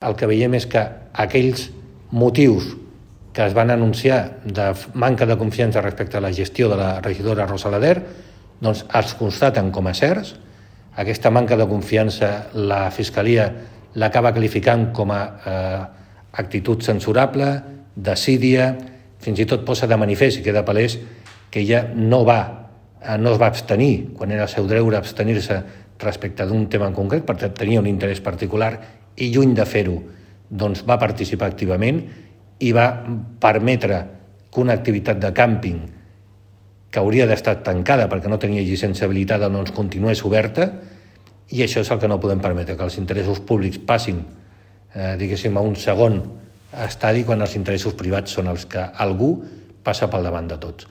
El que veiem és que aquells motius que es van anunciar de manca de confiança respecte a la gestió de la regidora Rosa Lader doncs es constaten com a certs. Aquesta manca de confiança la Fiscalia l'acaba qualificant com a actitud censurable, desídia, fins i tot posa de manifest i queda palès que ella no es va abstenir quan era el seu deure abstenir-se respecte d'un tema en concret, perquè tenia un interès particular i lluny de fer-ho doncs va participar activament i va permetre que una activitat de càmping que hauria d'estar tancada perquè no tenia llicència habilitada doncs continués oberta, i això és el que no podem permetre, que els interessos públics passin diguéssim a un segon estadi quan els interessos privats són els que algú passa pel davant de tots.